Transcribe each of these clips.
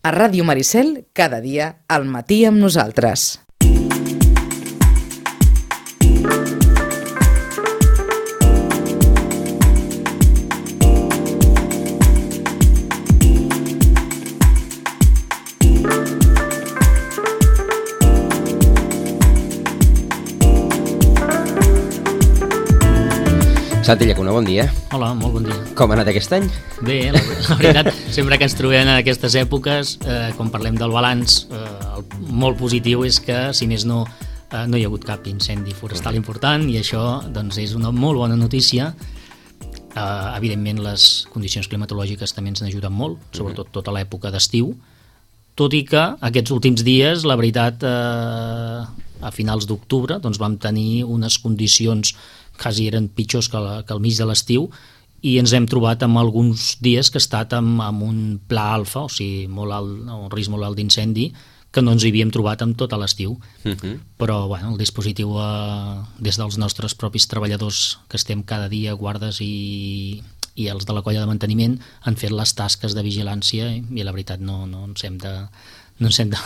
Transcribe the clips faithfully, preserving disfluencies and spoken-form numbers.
A Ràdio Maricel, cada dia, al matí amb nosaltres. Santi Llacuna, bon dia. Hola, molt bon dia. Com ha anat aquest any? Bé, la, la veritat, sempre que ens trobem en aquestes èpoques, eh, quan parlem del balanç, eh, el molt positiu és que, si més no, eh, no hi ha hagut cap incendi forestal important, i això doncs, és una molt bona notícia. Eh, evidentment, les condicions climatològiques també ens n'ajuden molt, sobretot tota l'època d'estiu, tot i que aquests últims dies, la veritat, eh, a finals d'octubre, doncs vam tenir unes condicions quasi eren pitjors que, la, que al mig de l'estiu, i ens hem trobat amb alguns dies que ha estat amb, amb un pla alfa, o sigui, molt alt, un risc molt alt d'incendi, que no ens hi havíem trobat amb tot l'estiu. Uh-huh. Però bueno, el dispositiu, eh, des dels nostres propis treballadors, que estem cada dia, guardes i, i els de la colla de manteniment, han fet les tasques de vigilància, i, i la veritat no, no ens hem de... no ens hem de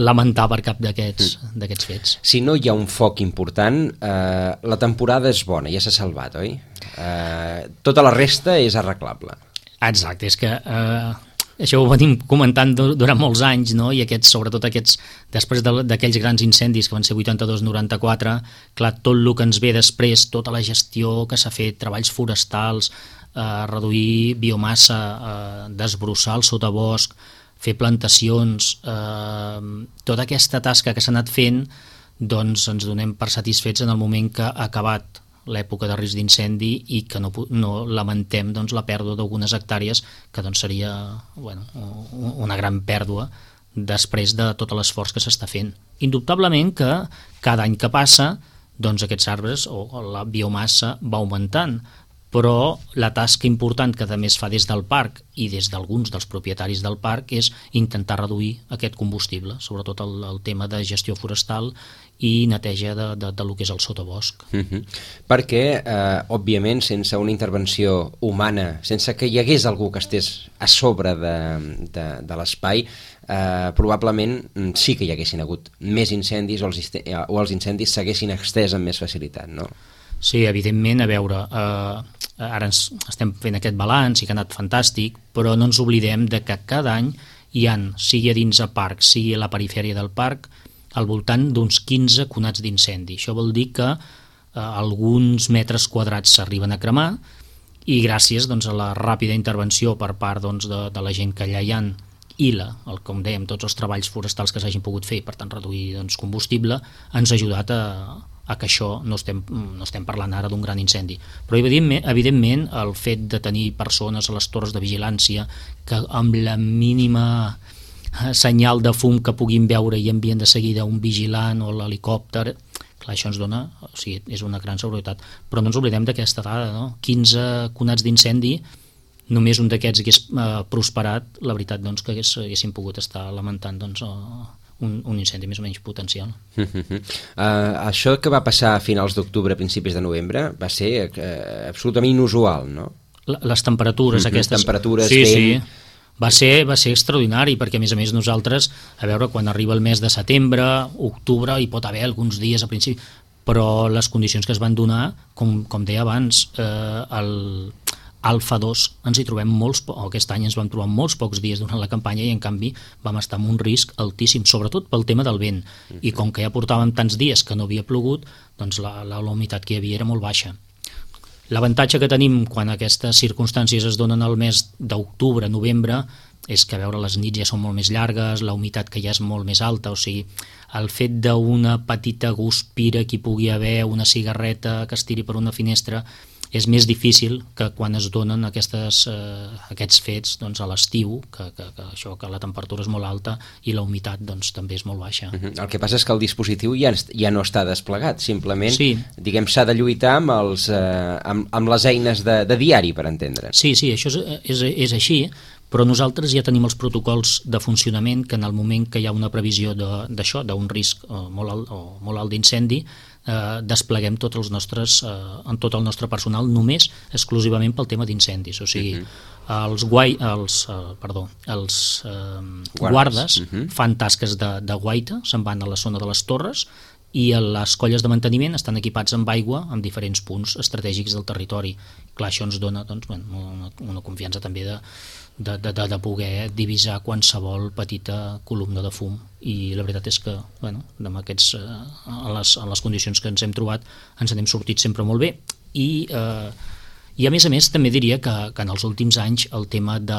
lamentar per cap d'aquests mm. d'aquests fets. Si no hi ha un foc important, eh, la temporada és bona, ja s'ha salvat, oi? Eh, tota la resta és arreglable. Exacte, és que eh, això ho venim comentant durant molts anys, no? I aquests, sobretot aquests, després d'aquells grans incendis que van ser vuitanta-dos noranta-quatre, clar, tot el que ens ve després, tota la gestió que s'ha fet, treballs forestals, eh, reduir biomassa, eh, desbrossar el sotabosc, fer plantacions, eh, tota aquesta tasca que s'ha anat fent, doncs ens donem per satisfets en el moment que ha acabat l'època de risc d'incendi i que no, no lamentem doncs, la pèrdua d'algunes hectàrees, que doncs, seria bueno, una gran pèrdua després de tot l'esforç que s'està fent. Indubtablement que cada any que passa, doncs, aquests arbres o la biomassa va augmentant, però la tasca important que també es fa des del parc i des d'alguns dels propietaris del parc és intentar reduir aquest combustible, sobretot el, el tema de gestió forestal i neteja de, de, de lo que és el sotabosc. Uh-huh. Perquè, eh, òbviament, sense una intervenció humana, sense que hi hagués algú que estés a sobre de, de, de l'espai, eh, probablement sí que hi haguessin hagut més incendis o els, o els incendis s'haguessin extès amb més facilitat, no? Sí, evidentment, a veure, eh, ara ens estem fent aquest balanç i que ha anat fantàstic, però no ens oblidem de que cada any hi ha, sigui a dins del parc, sigui a la perifèria del parc, al voltant d'uns quinze conats d'incendi. Això vol dir que eh, alguns metres quadrats s'arriben a cremar i gràcies doncs, a la ràpida intervenció per part doncs, de, de la gent que allà hi ha i, la, el, com dèiem, tots els treballs forestals que s'hagin pogut fer, per tant reduir doncs, combustible, ens ha ajudat a a que això no estem, no estem parlant ara d'un gran incendi. Però evidentment, evidentment el fet de tenir persones a les torres de vigilància que amb la mínima senyal de fum que puguin veure i envien de seguida un vigilant o l'helicòpter, clar, això ens dona, o sigui, és una gran seguretat. Però no ens oblidem d'aquesta dada, no? quinze conats d'incendi, només un d'aquests hagués eh, prosperat, la veritat doncs, que hagués, haguéssim pogut estar lamentant doncs, eh, Un, un incendi més o menys potencial. Uh, uh, uh, això que va passar a finals d'octubre, principis de novembre, va ser uh, absolutament inusual, no? Les temperatures, uh -huh, aquestes... Temperatures, sí, vent... sí. Va ser, va ser extraordinari, perquè a més a més nosaltres, a veure, quan arriba el mes de setembre, octubre, hi pot haver alguns dies a principi, però les condicions que es van donar, com, com deia abans, eh, el... Alfa dos ens hi trobem molts, o aquest any ens vam trobar molts pocs dies durant la campanya i en canvi vam estar amb un risc altíssim, sobretot pel tema del vent. I com que ja portàvem tants dies que no havia plogut, doncs la, la, la humitat que hi havia era molt baixa. L'avantatge que tenim quan aquestes circumstàncies es donen al mes d'octubre, novembre, és que a veure les nits ja són molt més llargues, la humitat que ja és molt més alta, o sigui, el fet d'una petita guspira que hi pugui haver, una cigarreta que es tiri per una finestra, és més difícil que quan es donen aquestes, eh, aquests fets doncs, a l'estiu, que, que, que, això, que la temperatura és molt alta i la humitat doncs, també és molt baixa. Uh-huh. El que passa és que el dispositiu ja, ja no està desplegat, simplement sí. diguem s'ha de lluitar amb, els, eh, amb, amb les eines de, de diari, per entendre. Sí, sí, això és, és, és així, però nosaltres ja tenim els protocols de funcionament que en el moment que hi ha una previsió d'això, d'un risc eh, molt alt, o molt alt d'incendi, eh, despleguem tots els nostres, eh, en tot el nostre personal només exclusivament pel tema d'incendis, o sigui, uh-huh. els, guai, els, eh, perdó, els eh, guardes, guardes uh-huh. fan tasques de, de guaita, se'n van a la zona de les torres, i les colles de manteniment estan equipats amb aigua en diferents punts estratègics del territori. Clar, això ens dona doncs, una, una confiança també de, de, de, de poder divisar qualsevol petita columna de fum, i la veritat és que bueno, amb aquests, a, les, a les condicions que ens hem trobat ens n'hem sortit sempre molt bé. I eh, I a més a més també diria que, que en els últims anys el tema de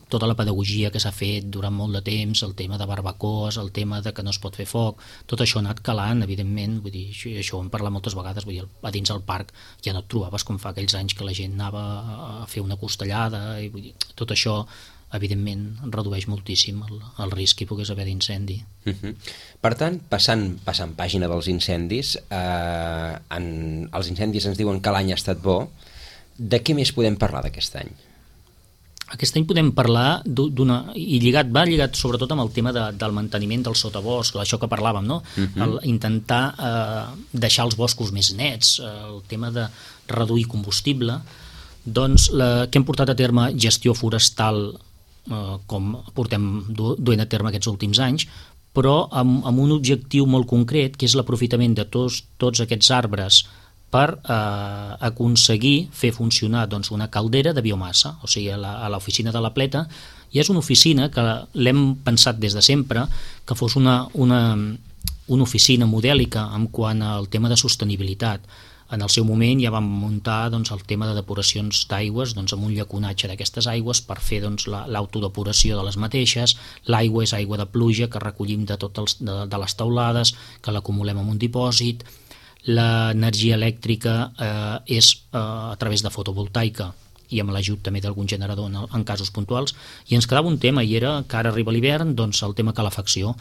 tota la pedagogia que s'ha fet durant molt de temps, el tema de barbacoes, el tema de que no es pot fer foc, tot això ha anat calant, evidentment, vull dir, això, això ho hem parlat moltes vegades, vull dir, a dins del parc ja no et trobaves com fa aquells anys que la gent anava a fer una costellada, i vull dir, tot això evidentment redueix moltíssim el, el risc que hi pogués haver d'incendi. Uh-huh. Per tant, passant, passant pàgina dels incendis, eh, en, els incendis ens diuen que l'any ha estat bo. De què més podem parlar d'aquest any? Aquest any podem parlar d'una... i lligat, va lligat sobretot amb el tema de, del manteniment del sotabosc, això que parlàvem, no? Uh-huh. El, intentar eh, deixar els boscos més nets, eh, el tema de reduir combustible, doncs la, que hem portat a terme gestió forestal eh, com portem du, duent a terme aquests últims anys, però amb, amb un objectiu molt concret, que és l'aprofitament de tots, tots aquests arbres per eh, aconseguir fer funcionar doncs, una caldera de biomassa, o sigui, a l'oficina de la Pleta, i és una oficina que l'hem pensat des de sempre, que fos una, una, una oficina modèlica en quant al tema de sostenibilitat. En el seu moment ja vam muntar doncs, el tema de depuracions d'aigües doncs, amb un llaconatge d'aquestes aigües per fer doncs, l'autodepuració de les mateixes. L'aigua és aigua de pluja que recollim de, tot els, de, de les teulades, que l'acumulem en un dipòsit. L'energia elèctrica eh, és eh, a través de fotovoltaica i amb l'ajut també d'algun generador en, en casos puntuals, i ens quedava un tema, i era que ara arriba l'hivern, doncs el tema calefacció,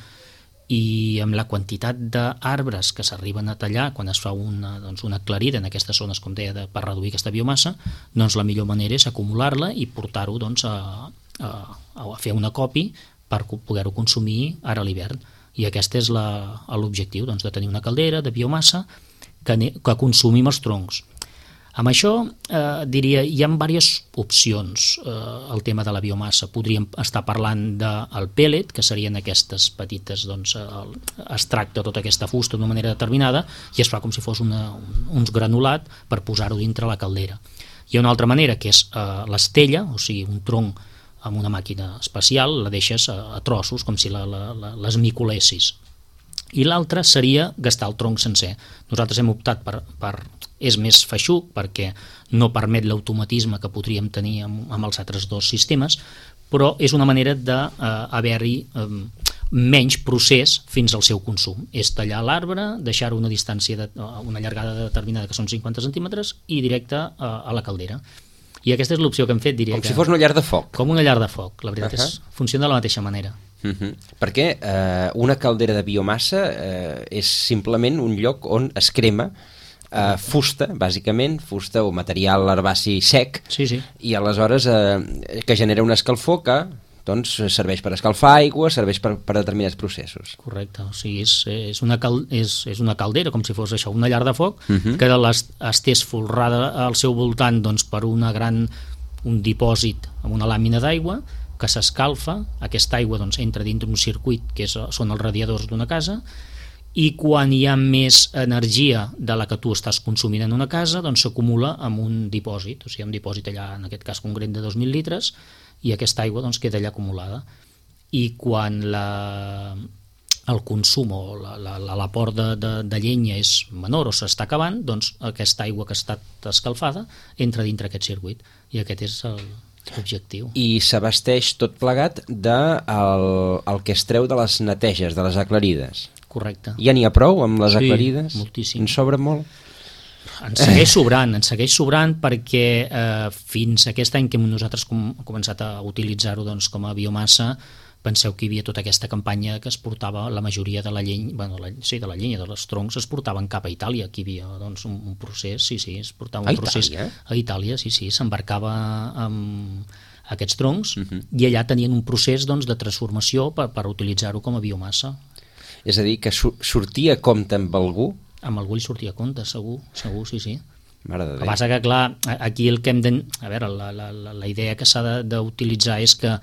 i amb la quantitat d'arbres que s'arriben a tallar quan es fa una, doncs una aclarida en aquestes zones, com deia, de, per reduir aquesta biomassa, doncs la millor manera és acumular-la i portar-ho doncs, a, a, a fer una copi per poder-ho consumir ara a l'hivern. I aquest és l'objectiu, doncs, de tenir una caldera de biomassa que, que consumim els troncs. Amb això, eh, diria, hi ha diverses opcions. Eh, el tema de la biomassa, podríem estar parlant del pellet, que serien aquestes petites, doncs, el, es tracta tota aquesta fusta d'una manera determinada i es fa com si fos una, un, uns granulat per posar-ho dintre la caldera. Hi ha una altra manera, que és eh, l'estella, o sigui, un tronc amb una màquina especial, la deixes a, a trossos, com si la, la, la, l'esmiculessis. I l'altra seria gastar el tronc sencer. Nosaltres hem optat per, per és més feixuc perquè no permet l'automatisme que podríem tenir amb, amb els altres dos sistemes, però és una manera d'haver-hi eh, menys procés fins al seu consum. És tallar l'arbre, deixar-ho una distància, de, una llargada determinada que són cinquanta centímetres i directe a, a la caldera. I aquesta és l'opció que hem fet, diria. Com si fos una llar de foc. Com una llar de foc, la veritat uh-huh. és, funciona de la mateixa manera. Uh-huh. Perquè eh, una caldera de biomassa eh, és simplement un lloc on es crema eh, fusta, bàsicament, fusta o material herbaci sec, sí, sí. i aleshores eh, que genera una escalfor que doncs, serveix per escalfar aigua, serveix per, per determinats processos. Correcte, o sigui, és, és, una cal, és, és una caldera, com si fos això, una llar de foc, uh-huh. que les, estés folrada al seu voltant doncs, per una gran, un dipòsit amb una làmina d'aigua, que s'escalfa, aquesta aigua doncs, entra dintre un circuit que és, són els radiadors d'una casa, i quan hi ha més energia de la que tu estàs consumint en una casa, doncs s'acumula en un dipòsit, o sigui, un dipòsit allà, en aquest cas concret de dos mil litres, i aquesta aigua doncs, queda allà acumulada. I quan la, el consum o l'aport de, de, de llenya és menor o s'està acabant, doncs aquesta aigua que ha estat escalfada entra dintre aquest circuit, i aquest és el objectiu. I s'abasteix tot plegat de el, el que es treu de les neteges, de les aclarides. Correcte. Ja n'hi ha prou amb les sí, aclarides? Moltíssim. En sobra molt? Ens segueix sobrant, ens segueix sobrant perquè eh, fins aquest any que nosaltres hem començat a utilitzar-ho doncs, com a biomassa, penseu que hi havia tota aquesta campanya que es portava, la majoria de la llenya, bueno, la, sí, de la llenya, dels troncs, es portaven cap a Itàlia. Aquí hi havia doncs, un, un procés, sí, sí, es portava un a procés Itàlia? a Itàlia, sí, sí, s'embarcava amb, aquests troncs, uh-huh. i allà tenien un procés doncs, de transformació per, per utilitzar-ho com a biomassa. És a dir, que su sortia a compte amb algú? Amb algú li sortia a compte, segur, segur, sí, sí. Mare de Déu. El que passa que, clar, aquí el que hem de... A veure, la, la, la idea que s'ha d'utilitzar és que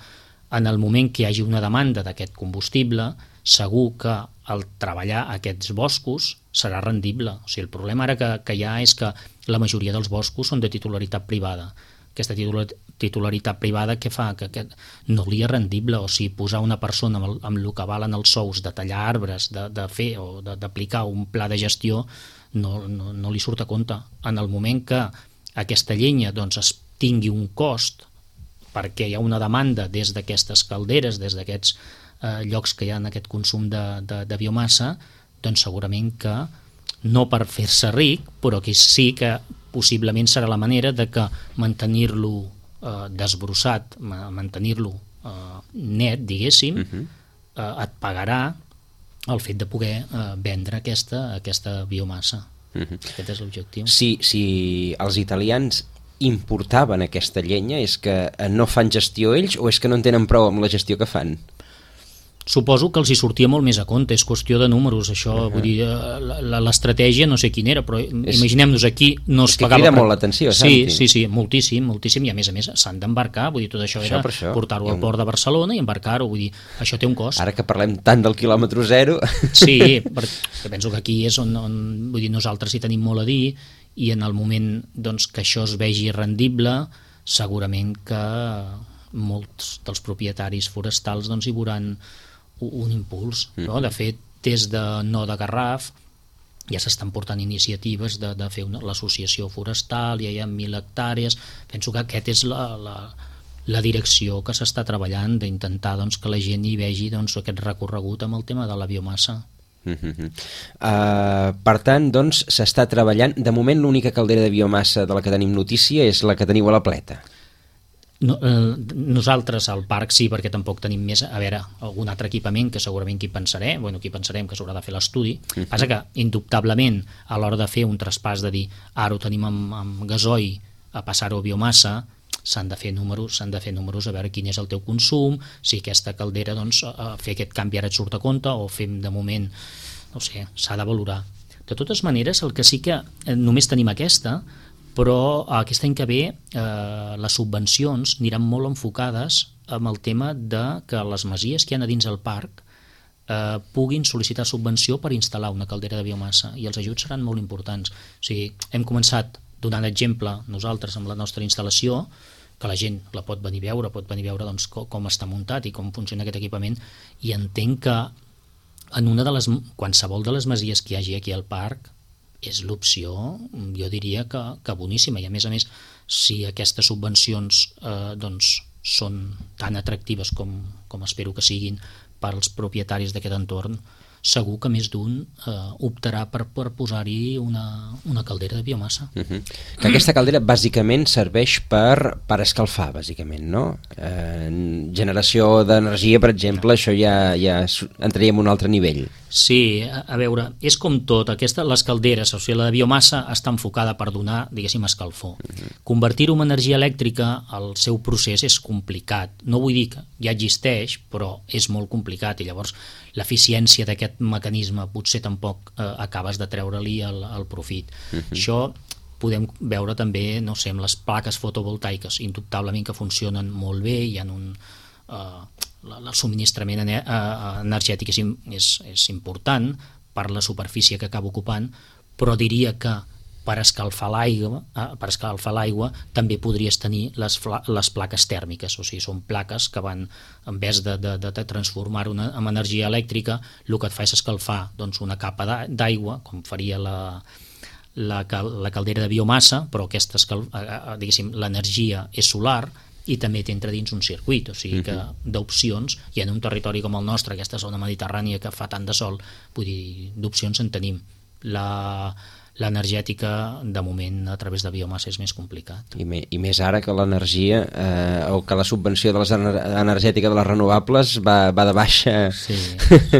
en el moment que hi hagi una demanda d'aquest combustible, segur que el treballar aquests boscos serà rendible. O sigui, el problema ara que, que hi ha és que la majoria dels boscos són de titularitat privada. Aquesta titularitat privada què fa? Que, que no li és rendible, o sigui, posar una persona amb el, amb el que valen els sous de tallar arbres, de, de fer o d'aplicar un pla de gestió, no, no, no li surt a compte. En el moment que aquesta llenya doncs, es tingui un cost perquè hi ha una demanda des d'aquestes calderes, des d'aquests eh, llocs que hi ha en aquest consum de, de, de biomassa, doncs segurament que no per fer-se ric, però que sí que possiblement serà la manera de que mantenir-lo eh, desbrossat, mantenir-lo eh, net, diguéssim, uh-huh. eh, et pagarà el fet de poder eh, vendre aquesta, aquesta biomassa. Uh-huh. Aquest és l'objectiu. Si, si els italians importaven aquesta llenya, és que no fan gestió ells o és que no en tenen prou amb la gestió que fan? Suposo que els hi sortia molt més a compte, és qüestió de números, això, uh-huh. vull dir, l'estratègia no sé quina era, però és, imaginem-nos aquí no es és que pagava... crida per... molt l'atenció, sí, sí, sí, moltíssim, moltíssim, i a més a més s'han d'embarcar, vull dir, tot això, això era portar-ho al port de Barcelona i embarcar-ho, vull dir, això té un cost. Ara que parlem tant del quilòmetre zero... Sí, perquè penso que aquí és on, on vull dir, nosaltres hi tenim molt a dir, i en el moment doncs, que això es vegi rendible, segurament que molts dels propietaris forestals doncs, hi veuran un impuls. Mm. No? De fet, des de No de Garraf ja s'estan portant iniciatives de, de fer l'associació forestal, ja hi ha mil hectàrees. Penso que aquest és la, la, la direcció que s'està treballant, d'intentar doncs, que la gent hi vegi doncs, aquest recorregut amb el tema de la biomassa. Uh-huh. uh, per tant, doncs, s'està treballant. De moment l'única caldera de biomassa de la que tenim notícia és la que teniu a la Pleta. No, eh, nosaltres al parc sí, perquè tampoc tenim més, a veure, algun altre equipament que segurament qui pensaré, bueno, qui pensarem que s'haurà de fer l'estudi. Uh-huh. Passa que, indubtablement, a l'hora de fer un traspàs de dir ara ho tenim amb, amb gasoil a passar-ho a biomassa, s'han de fer números, s'han de fer números a veure quin és el teu consum, si aquesta caldera, doncs, a fer aquest canvi ara et surt a compte o fem de moment, no sé, s'ha de valorar. De totes maneres, el que sí que eh, només tenim aquesta, però aquest any que ve eh, les subvencions aniran molt enfocades amb el tema de que les masies que hi ha a dins del parc eh, puguin sol·licitar subvenció per instal·lar una caldera de biomassa, i els ajuts seran molt importants. O sigui, hem començat donant exemple nosaltres amb la nostra instal·lació, que la gent la pot venir a veure, pot venir a veure doncs, com, com està muntat i com funciona aquest equipament, i entenc que en una de les, qualsevol de les masies que hi hagi aquí al parc és l'opció, jo diria que, que boníssima, i a més a més, si aquestes subvencions eh, doncs, són tan atractives com, com espero que siguin per als propietaris d'aquest entorn, segur que més d'un eh, optarà per, per posar-hi una, una caldera de biomassa. Uh-huh. Que aquesta caldera bàsicament serveix per, per escalfar, bàsicament, no? Eh, generació d'energia, per exemple, això ja, ja entraria en un altre nivell. Sí, a, a veure, és com tot, aquesta, les calderes, o sigui, la de biomassa està enfocada per donar, diguéssim, escalfor. Uh-huh. Convertir-ho en energia elèctrica, el seu procés és complicat. No vull dir que ja existeix, però és molt complicat, i llavors l'eficiència d'aquest mecanisme potser tampoc eh, acabes de treure-li el, el profit. Uh-huh. Això podem veure també, no sé, amb les plaques fotovoltaiques, indubtablement que funcionen molt bé, hi ha un... Eh, el subministrament energètic és, és, és important per la superfície que acaba ocupant, però diria que per escalfar l'aigua per escalfar l'aigua també podries tenir les, les plaques tèrmiques, o sigui, són plaques que van, en vez de, de, de transformar-ho en energia elèctrica, el que et fa és escalfar doncs, una capa d'aigua, com faria la, la, la caldera de biomassa, però aquesta, diguéssim, l'energia és solar, i també t'entra dins un circuit, o sigui que d'opcions, i en un territori com el nostre, aquesta zona mediterrània que fa tant de sol, vull dir, d'opcions en tenim. La, l'energètica, de moment, a través de biomassa és més complicat. I, me, i més ara que l'energia, eh, o que la subvenció de les ener energètica de les renovables va, va de baixa. Sí.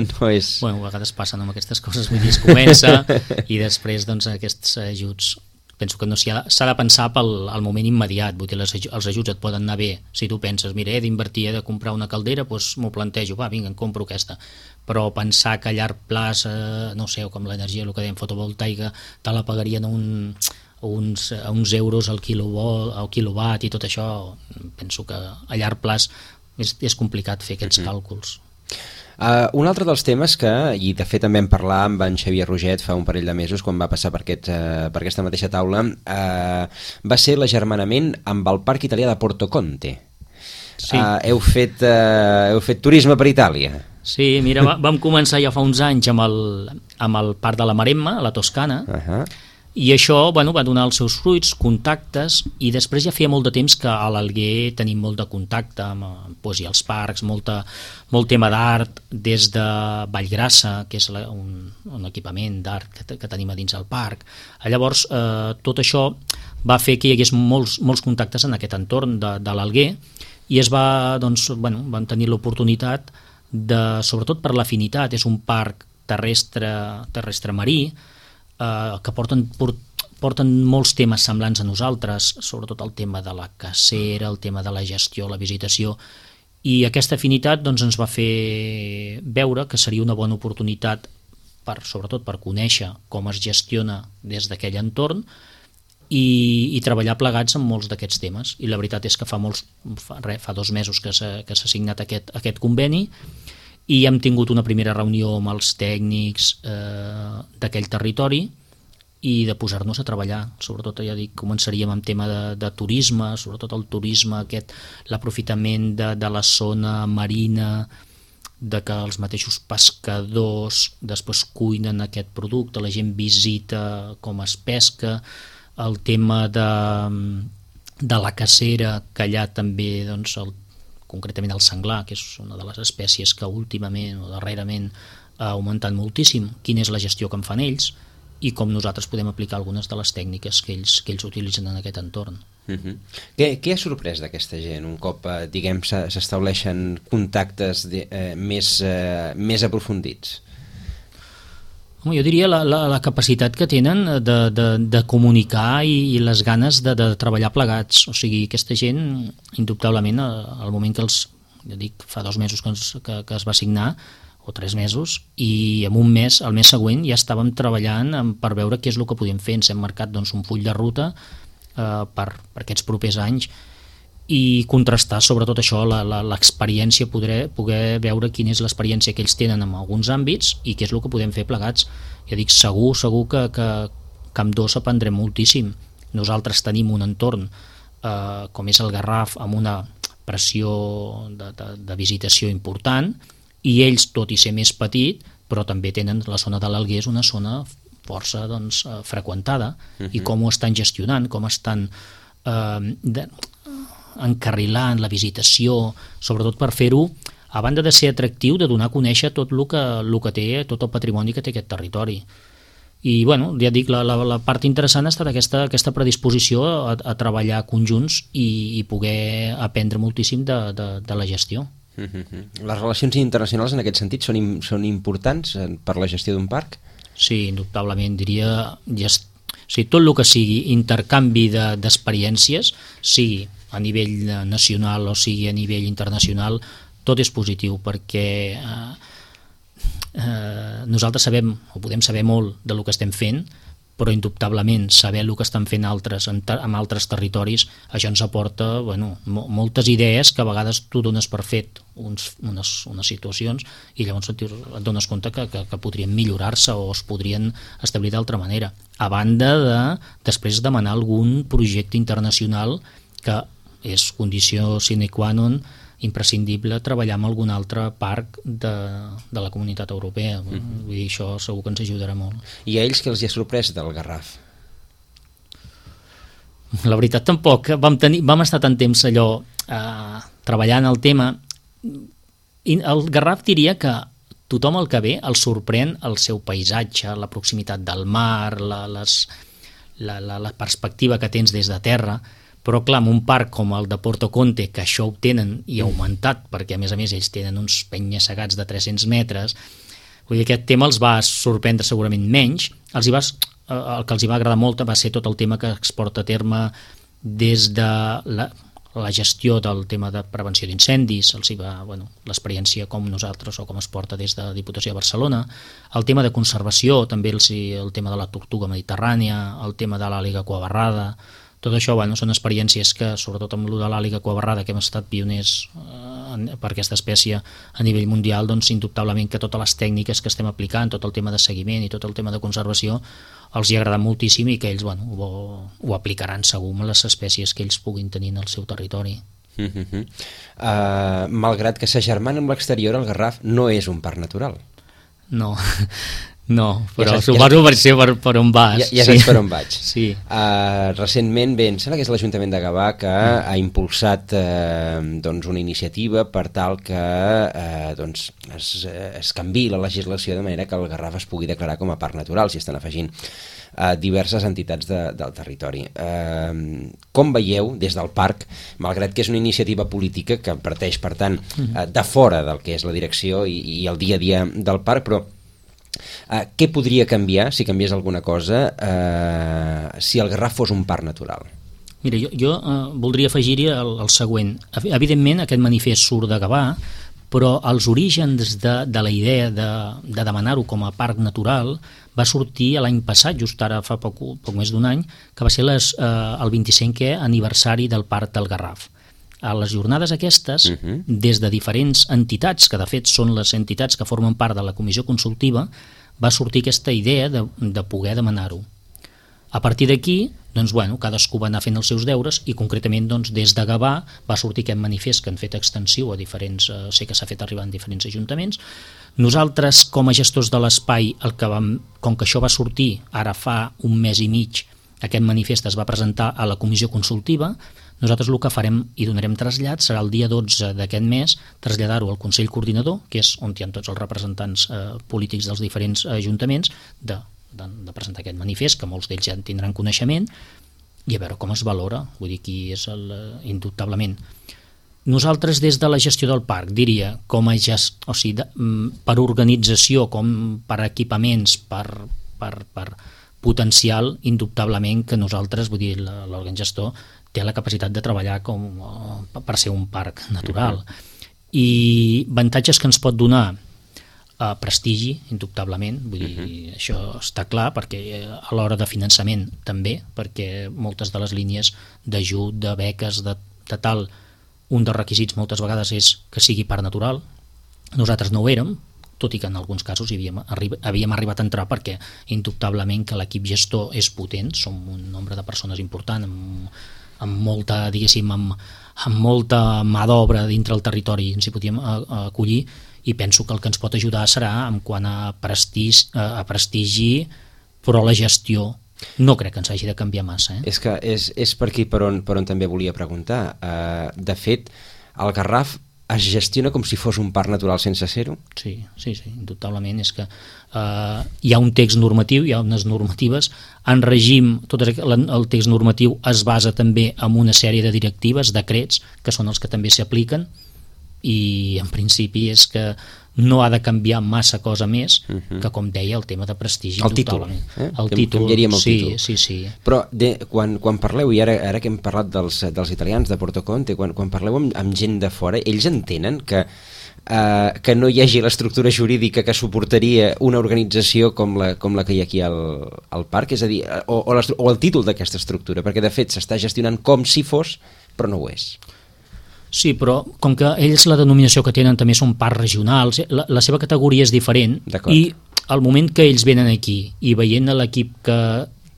No és... Bueno, a vegades passen amb aquestes coses, vull dir, es comença, i després, doncs, aquests ajuts penso que no s'ha de pensar pel al moment immediat, vull dir, les, els ajuts et poden anar bé si tu penses, mira, he d'invertir, he de comprar una caldera, doncs m'ho plantejo, va, vinga, em compro aquesta, però pensar que a llarg plaç, eh, no sé, com l'energia, el que dèiem, fotovoltaica, te la pagarien un, uns, uns euros al quilowatt, al quilowatt i tot això, penso que a llarg plaç és, és complicat fer aquests mm-hmm. càlculs. Uh, un altre dels temes que, i de fet també en parlar amb en Xavier Roget fa un parell de mesos quan va passar per, aquest, uh, per aquesta mateixa taula, uh, va ser l'agermanament amb el Parc Italià de Porto Conte. Sí. Uh, heu, fet, uh, heu fet turisme per Itàlia. Sí, mira, va, vam començar ja fa uns anys amb el, amb el Parc de la Maremma, a la Toscana, uh-huh. i això bueno, va donar els seus fruits, contactes, i després ja feia molt de temps que a l'Alguer tenim molt de contacte amb doncs, els parcs, molta, molt tema d'art, des de Vallgrassa, que és la, un, un equipament d'art que, que tenim a dins del parc. Llavors, eh, tot això va fer que hi hagués molts, molts contactes en aquest entorn de, de l'Alguer, i es va, doncs, bueno, van tenir l'oportunitat de, sobretot per l'afinitat, és un parc terrestre, terrestre marí, Uh, que porten, port, porten molts temes semblants a nosaltres, sobretot el tema de la cacera, el tema de la gestió, la visitació, i aquesta afinitat doncs, ens va fer veure que seria una bona oportunitat, per, sobretot per conèixer com es gestiona des d'aquell entorn i, i treballar plegats en molts d'aquests temes. I la veritat és que fa, molts, fa, re, fa dos mesos que s'ha, que s'ha signat aquest, aquest conveni, i hem tingut una primera reunió amb els tècnics eh, d'aquell territori i de posar-nos a treballar. Sobretot, ja dic, començaríem amb tema de, de turisme, sobretot el turisme, aquest, l'aprofitament de, de la zona marina, de que els mateixos pescadors després cuinen aquest producte, la gent visita com es pesca, el tema de, de la cacera, que allà també doncs, el concretament el senglar, que és una de les espècies que últimament o darrerament ha augmentat moltíssim, quina és la gestió que en fan ells i com nosaltres podem aplicar algunes de les tècniques que ells, que ells utilitzen en aquest entorn. Uh-huh. Què, què ha sorprès d'aquesta gent un cop eh, diguem s'estableixen contactes de, eh, més, eh, més aprofundits? Home, jo diria la, la, la capacitat que tenen de, de, de comunicar i, i les ganes de, de treballar plegats. O sigui, aquesta gent, indubtablement, al moment que els, jo dic, fa dos mesos que, ens, que, que es va signar, o tres mesos, i en un mes, el mes següent, ja estàvem treballant per veure què és el que podíem fer. Ens hem marcat doncs, un full de ruta eh, per, per aquests propers anys, i contrastar sobretot això, l'experiència, poder, poder veure quina és l'experiència que ells tenen en alguns àmbits i què és el que podem fer plegats. Ja dic, segur, segur que, que, que amb dos aprendrem moltíssim. Nosaltres tenim un entorn eh, com és el Garraf, amb una pressió de, de, de visitació important, i ells, tot i ser més petit, però també tenen la zona de l'Alguer, és una zona força doncs, freqüentada, uh-huh. i com ho estan gestionant, com estan eh, de, encarrilant la visitació, sobretot per fer-ho, a banda de ser atractiu, de donar a conèixer tot el que, el que té, tot el patrimoni que té aquest territori. I, bueno, ja dic, la, la, la part interessant ha estat aquesta, aquesta predisposició a, a treballar conjunts i, i poder aprendre moltíssim de, de, de la gestió. Mm-hmm. Les relacions internacionals en aquest sentit són, són importants per la gestió d'un parc? Sí, indubtablement, diria... Gest... O sigui, tot el que sigui intercanvi de, d'experiències, sigui a nivell nacional o sigui a nivell internacional, tot és positiu, perquè eh, eh, nosaltres sabem, o podem saber molt de lo que estem fent, però indubtablement saber el que estan fent altres en, en altres territoris, això ens aporta bueno, mo moltes idees que a vegades tu dones per fet uns, unes, unes situacions i llavors et, et dones compte que, que, que podrien millorar-se o es podrien establir d'altra manera. A banda de després demanar algun projecte internacional que és condició sine qua non imprescindible treballar amb algun altre parc de, de la comunitat europea. Mm-hmm. Vull dir, això segur que ens ajudarà molt. I a ells què els hi ha sorprès del Garraf? La veritat tampoc. Vam, tenir, vam estar tant temps allò eh, treballant el tema. I el Garraf diria que tothom el que ve el sorprèn el seu paisatge, la proximitat del mar, la, les, la, la, la perspectiva que tens des de terra. Però clar, en un parc com el de Porto Conte, que això ho tenen i ha augmentat, perquè a més a més ells tenen uns penya-segats de tres-cents metres, vull dir, aquest tema els va sorprendre segurament menys, els hi va, el que els hi va agradar molt va ser tot el tema que es porta a terme des de la, la gestió del tema de prevenció d'incendis, els hi va, bueno, l'experiència com nosaltres o com es porta des de Diputació de Barcelona, el tema de conservació, també els, el tema de la tortuga mediterrània, el tema de l'àliga cuabarrada, tot això, bueno, són experiències que, sobretot amb el de l'àliga cuabarrada, que hem estat pioners eh, per aquesta espècie a nivell mundial, doncs indubtablement que totes les tècniques que estem aplicant, tot el tema de seguiment i tot el tema de conservació, els hi ha agradat moltíssim i que ells, bueno, ho, ho aplicaran segur amb les espècies que ells puguin tenir en el seu territori. Uh-huh. uh, malgrat que s'agermana amb l'exterior, el Garraf no és un parc natural. No, no, però ja suposo per ser per, per on vas. Ja, ja saps sí. per on vaig. Sí. Uh, recentment, bé, em sembla que és l'Ajuntament de Gavà que mm. ha impulsat uh, doncs una iniciativa per tal que uh, doncs es, es canviï la legislació de manera que el Garraf es pugui declarar com a parc natural, si estan afegint uh, diverses entitats de, del territori. Uh, com veieu des del parc, malgrat que és una iniciativa política que parteix, per tant, uh, de fora del que és la direcció i, i el dia a dia del parc, però Uh, què podria canviar, si canviés alguna cosa, uh, si el Garraf fos un parc natural? Mira, jo, jo uh, voldria afegir-hi el, el següent. Evidentment, aquest manifest surt de Gavà, però els orígens de, de la idea de, de demanar-ho com a parc natural va sortir l'any passat, just ara fa poc, poc més d'un any, que va ser les, uh, el vint-i-cinquè aniversari del Parc del Garraf. A les jornades aquestes, uh-huh. des de diferents entitats, que de fet són les entitats que formen part de la comissió consultiva, va sortir aquesta idea de, de poder demanar-ho. A partir d'aquí, doncs, bueno, cadascú va anar fent els seus deures i concretament doncs, des de Gavà va sortir aquest manifest que han fet extensiu a diferents, eh, sé que s'ha fet arribar en diferents ajuntaments. Nosaltres, com a gestors de l'espai, el que vam, com que això va sortir ara fa un mes i mig, aquest manifest es va presentar a la comissió consultiva. Nosaltres el que farem i donarem trasllat serà el dia dotze d'aquest mes traslladar-ho al Consell Coordinador, que és on hi ha tots els representants eh, polítics dels diferents ajuntaments, de, de, de presentar aquest manifest, que molts d'ells ja en tindran coneixement, i a veure com es valora, vull dir, qui és el, indubtablement. Nosaltres des de la gestió del parc diria, com a gest, o sigui, de, per organització, com per equipaments, per, per, per potencial, indubtablement que nosaltres, vull dir, l'òrgan gestor, té la capacitat de treballar com, per ser un parc natural. I avantatges que ens pot donar eh, prestigi, indubtablement, vull dir, uh-huh. això està clar, perquè a l'hora de finançament també, perquè moltes de les línies d'ajut, de beques, de, de tal, un dels requisits moltes vegades és que sigui parc natural. Nosaltres no ho érem, tot i que en alguns casos hi havíem, arri- havíem arribat a entrar perquè indubtablement que l'equip gestor és potent, som un nombre de persones important, amb amb molta, diguéssim, amb, amb molta mà d'obra dintre el territori ens hi podíem acollir, i penso que el que ens pot ajudar serà en quant a prestigi, a prestigi però la gestió no crec que ens hagi de canviar massa. Eh? És que és, és per aquí per on, per on també volia preguntar. Uh, de fet, el Garraf es gestiona com si fos un parc natural sense ser-ho? Sí, sí, sí, indubtablement. És que eh, hi ha un text normatiu, hi ha unes normatives, en règim, tot el text normatiu es basa també en una sèrie de directives, decrets, que són els que també s'apliquen, i en principi és que no ha de canviar massa cosa més uh-huh. que, com deia, el tema de prestigi. El títol. Eh? El títol, canviaríem el sí, títol. Sí, sí. Però de, quan, quan parleu, i ara, ara que hem parlat dels, dels italians, de Porto Conte, quan, quan parleu amb, amb gent de fora, ells entenen que, uh, que no hi hagi l'estructura jurídica que suportaria una organització com la, com la que hi ha aquí al, al parc? És a dir, o, o, o el títol d'aquesta estructura, perquè de fet s'està gestionant com si fos, però no ho és. Sí, però com que ells la denominació que tenen també són parcs regionals, la, la seva categoria és diferent, i al moment que ells venen aquí i veient l'equip que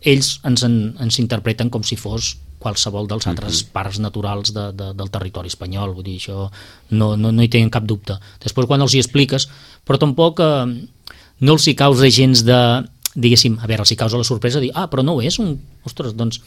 ells ens, en, ens interpreten com si fos qualsevol dels altres uh-huh. parcs naturals de, de, del territori espanyol, vull dir, això no, no, no hi tenen cap dubte. Després quan els hi expliques, però tampoc eh, no els hi causa gens de, diguéssim, a veure, els hi causa la sorpresa de dir, ah, però no és un... Ostres, doncs...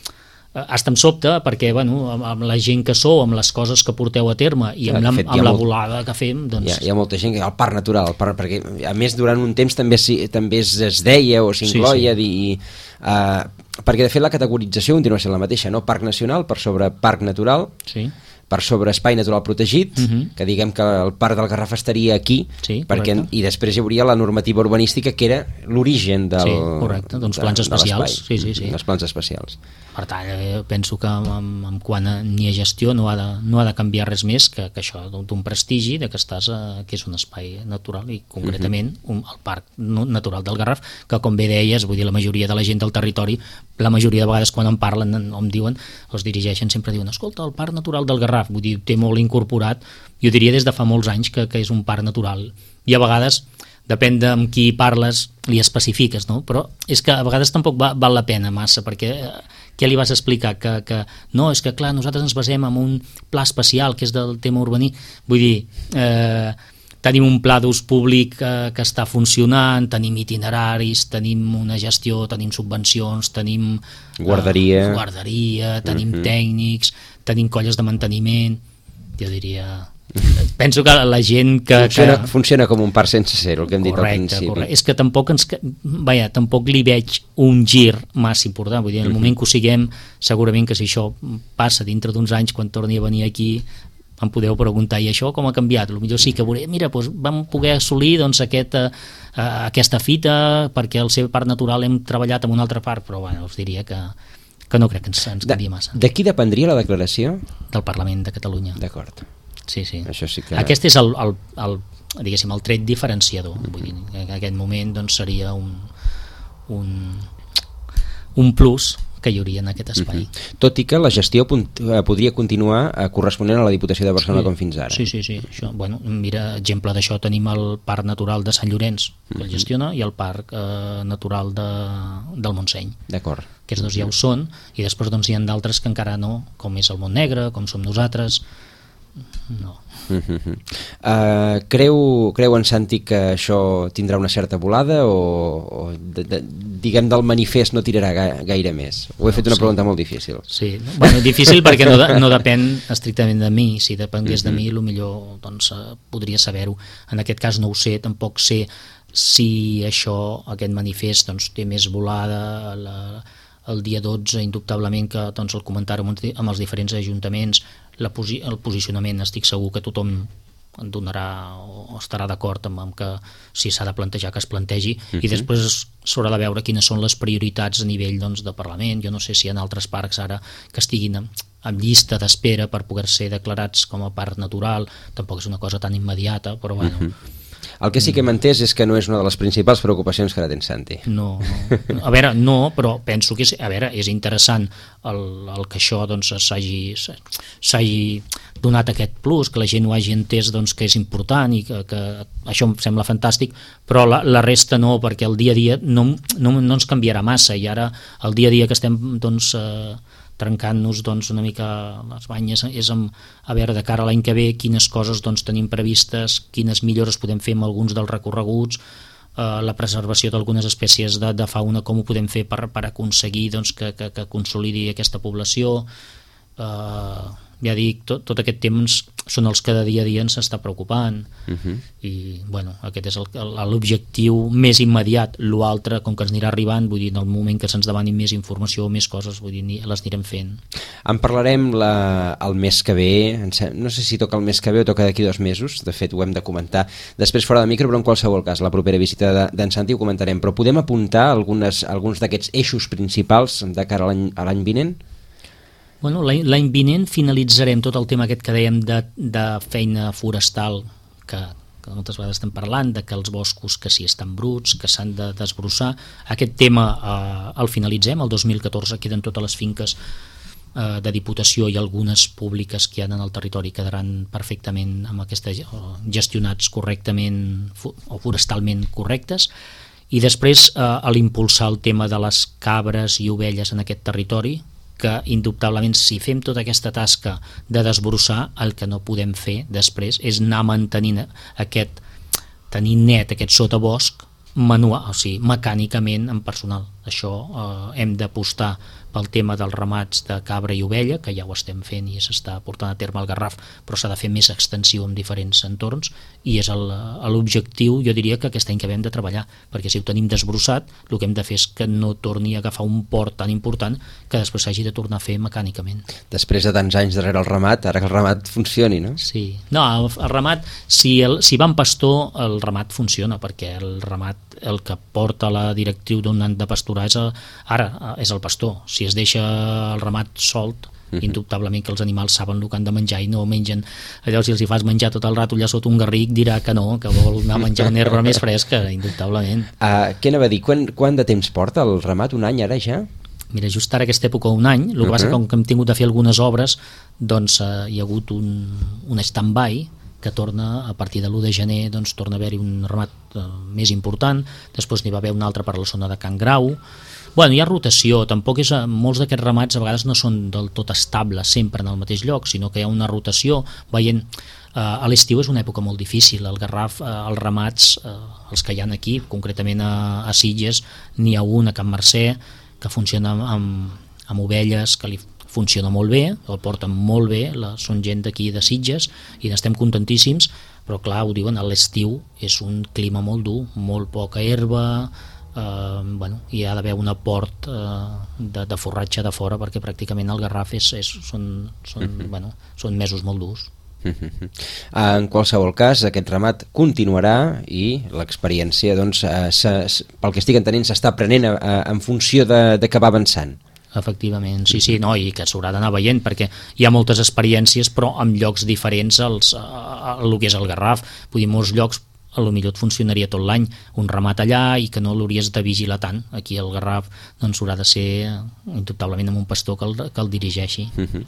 Hasta em sobte perquè, bueno, amb la gent que sou, amb les coses que porteu a terme i amb, la, fet, amb la molt, volada que fem, doncs... Hi ha, hi ha molta gent que el parc natural, el parc, perquè a més durant un temps també, també es, es deia o s'incloia, sí, sí. I, uh, perquè de fet la categorització continua sent la mateixa, no? Parc nacional per sobre parc natural, sí. per sobre espai natural protegit, uh-huh. que diguem que el Parc del Garraf estaria aquí, sí, perquè, i després hi hauria la normativa urbanística que era l'origen del... Sí, correcte, d'uns plans de, especials. De sí, sí, sí. dels plans especials. Per tant, eh, penso que en, en quant a, ni a gestió no ha de, no ha de canviar res més que, que això, d'un prestigi de que estàs a, que és un espai natural i concretament un, el Parc Natural del Garraf, que com bé deies, vull dir, la majoria de la gent del territori, la majoria de vegades quan en parlen o em diuen, els dirigeixen, sempre diuen, escolta, el Parc Natural del Garraf, vull dir, té molt incorporat, jo diria des de fa molts anys que, que és un parc natural, i a vegades depèn de amb qui parles li especifiques, no? Però és que a vegades tampoc va, val la pena massa, perquè eh, què li vas explicar? Que, que no, és que clar, nosaltres ens basem en un pla especial que és del tema urbaní, vull dir, eh, tenim un pla d'ús públic eh, que està funcionant, tenim itineraris, tenim una gestió, tenim subvencions, tenim guarderia, eh, guarderia tenim uh-huh. tècnics, tenim colles de manteniment, jo diria... Penso que la gent que... Funciona, que... funciona com un parc sense ser, el que hem dit correcte, al principi. Correcte. És que tampoc ens... Vaja, tampoc li veig un gir massa important. Vull dir, en el uh-huh. moment que ho siguem, segurament que si això passa dintre d'uns anys, quan torni a venir aquí, em podeu preguntar, i això com ha canviat? Potser sí que veuré, mira, doncs vam poder assolir doncs, aquest, uh, aquesta fita perquè al seu parc natural hem treballat en un altre parc, però bueno, us diria que, que no crec que ens, ens canvi massa. De qui dependria la declaració? Del Parlament de Catalunya. D'acord. Sí, sí. Això sí que... Aquest és el, el, el, diguéssim, el tret diferenciador. Vull dir, en aquest moment doncs, seria un, un, un plus que hi hauria en aquest espai. Uh-huh. Tot i que la gestió punt, eh, podria continuar eh, corresponent a la Diputació de Barcelona sí. com fins ara. Sí, sí, sí. Això, bueno, mira, exemple d'això tenim el Parc Natural de Sant Llorenç, que uh-huh. el gestiona, i el Parc eh, Natural de, del Montseny. D'acord. Aquests dos ja ho són, i després doncs, hi ha d'altres que encara no, com és el Montnegre, com som nosaltres. No. Uh-huh. uh, creu, creu en Santi que això tindrà una certa volada o, o de, de, diguem del manifest no tirarà ga, gaire més? Ho he fet una sí. pregunta molt difícil. Sí, bueno, difícil perquè no, de, no depèn estrictament de mi. Si depengués uh-huh. de mi, potser doncs, podria saber-ho. En aquest cas no ho sé, tampoc sé si això, aquest manifest doncs, té més volada. La, el dia dotze, indubtablement, que doncs, el comentàrem amb els diferents ajuntaments, la posi- el posicionament, estic segur que tothom en donarà o estarà d'acord amb, amb que si s'ha de plantejar que es plantegi, uh-huh. i després s'haurà de veure quines són les prioritats a nivell doncs, de Parlament. Jo no sé si hi ha altres parcs ara que estiguin en, en llista d'espera per poder ser declarats com a parc natural, tampoc és una cosa tan immediata, però bueno... Uh-huh. El que sí que hem entès és que no és una de les principals preocupacions que ara tens, Santi. No, no. A veure, no, però penso que és, a veure, és interessant el, el que això doncs, s'hagi, s'hagi donat aquest plus, que la gent ho hagi entès doncs, que és important i que, que això em sembla fantàstic, però la, la resta no, perquè el dia a dia no, no, no ens canviarà massa, i ara el dia a dia que estem doncs, eh, trencant-nos doncs, una mica les banyes és amb, a veure de cara a l'any que ve quines coses doncs, tenim previstes, quines millores podem fer amb alguns dels recorreguts, eh, la preservació d'algunes espècies de, de fauna, com ho podem fer per, per aconseguir doncs, que, que, que consolidi aquesta població. Eh, ja dic, tot, tot aquest temps són els que de dia a dia ens està preocupant, uh-huh. i bueno, aquest és el, l'objectiu més immediat. L'altre, com que ens anirà arribant, vull dir, en el moment que se'ns demani més informació o més coses, vull dir, les anirem fent. En parlarem la, el mes que ve, no sé si toca el mes que ve o toca d'aquí dos mesos, de fet ho hem de comentar després fora de micro, però en qualsevol cas la propera visita d'en Santi ho comentarem, però podem apuntar algunes, alguns d'aquests eixos principals de cara a l'any, a l'any vinent? Bueno, l'any vinent finalitzarem tot el tema aquest que dèiem de, de feina forestal, que, que moltes vegades estem parlant, de que els boscos que sí estan bruts, que s'han de desbrossar. Aquest tema eh, el finalitzem, el dos mil catorze queden totes les finques eh, de Diputació i algunes públiques que hi ha en el territori quedaran perfectament amb aquesta, gestionats correctament o forestalment correctes. I després eh, a l'impulsar el tema de les cabres i ovelles en aquest territori, que indubtablement si fem tota aquesta tasca de desbrossar, el que no podem fer després és anar mantenint aquest, tenir net aquest sotabosc manual, o sigui, mecànicament en personal. Això eh, hem d'apostar pel tema dels ramats de cabra i ovella, que ja ho estem fent i s'està portant a terme al Garraf, però s'ha de fer més extensiu en diferents entorns, i és l'objectiu, jo diria, que aquest any que hem de treballar, perquè si ho tenim desbrossat, el que hem de fer és que no torni a agafar un port tan important que després s'hagi de tornar a fer mecànicament. Després de tants anys darrere el ramat, ara que el ramat funcioni, no? Sí, no, el, el ramat, si, el, si va en pastor, el ramat funciona, perquè el ramat, el que porta la directriu d'un ant de pasturar és el, ara és el pastor. Si es deixa el ramat solt, uh-huh. indubtablement que els animals saben el que han de menjar i no mengen allò. Si els hi fas menjar tot el rato allà sota un garric, dirà que no, que vol anar a menjar una herba més fresca, indubtablement. Uh, què anava a dir? Quan, quant de temps porta el ramat? Un any ara ja? Mira, just ara aquesta època un any, el que uh-huh. passa que com que hem tingut de fer algunes obres, doncs uh, hi ha hagut un, un stand-by que torna, a partir de l'u de gener, doncs torna a haver-hi un ramat uh, més important, després n'hi va haver un altre per a la zona de Can Grau. Bueno, hi ha rotació, tampoc és, molts d'aquests ramats a vegades no són del tot estables sempre en el mateix lloc, sinó que hi ha una rotació, veient, uh, a l'estiu és una època molt difícil, al Garraf, uh, els ramats, uh, els que hi ha aquí, concretament a, a Sitges, n'hi ha un a Can Mercè, que funciona amb, amb ovelles, que li funciona molt bé, el porten molt bé, la, són gent d'aquí de Sitges i n'estem contentíssims, però clar, ho diuen, a l'estiu és un clima molt dur, molt poca herba, eh, bueno, hi ha d'haver un aport eh, de, de forratge de fora, perquè pràcticament el Garraf és, és, són, són, uh-huh. bueno, són mesos molt durs. Uh-huh. En qualsevol cas, aquest ramat continuarà i l'experiència, doncs, eh, se, pel que estic entenent, s'està aprenent a, a, en funció de, de que va avançant. Efectivament, sí, sí, no, i que s'haurà d'anar veient, perquè hi ha moltes experiències, però en llocs diferents als, a, a, a el que és el Garraf. Vull dir, molts llocs a lo millor et funcionaria tot l'any, un ramat allà i que no l'hauries de vigilar tant. Aquí al Garraf doncs haurà de ser indubtablement amb un pastor que el, que el dirigeixi. Uh-huh.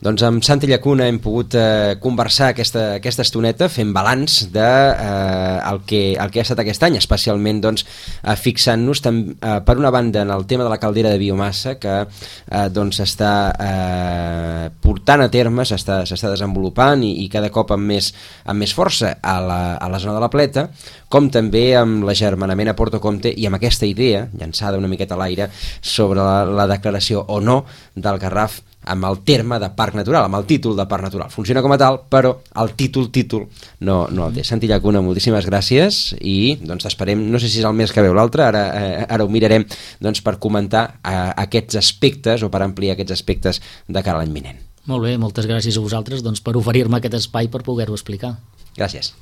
Doncs amb Santi Llacuna hem pogut eh, conversar aquesta, aquesta estoneta fent balanç de eh, el, que, el que ha estat aquest any, especialment doncs, eh, fixant-nos tam, eh, per una banda en el tema de la caldera de biomassa que eh, doncs està eh, portant a terme, s'està desenvolupant i, i cada cop amb més, amb més força a la, a la zona de la Pleta, com també amb l'agermanament a Porto Comte i amb aquesta idea, llançada una miqueta a l'aire, sobre la, la declaració o no del Garraf amb el terme de parc natural, amb el títol de parc natural. Funciona com a tal, però el títol, títol, no, no el té. Santi Llacuna, moltíssimes gràcies i doncs t'esperem, no sé si és el mes que ve o l'altre, ara, eh, ara ho mirarem doncs, per comentar eh, aquests aspectes o per ampliar aquests aspectes de cara a l'any vinent. Molt bé, moltes gràcies a vosaltres doncs, per oferir-me aquest espai per poder-ho explicar. Gràcies.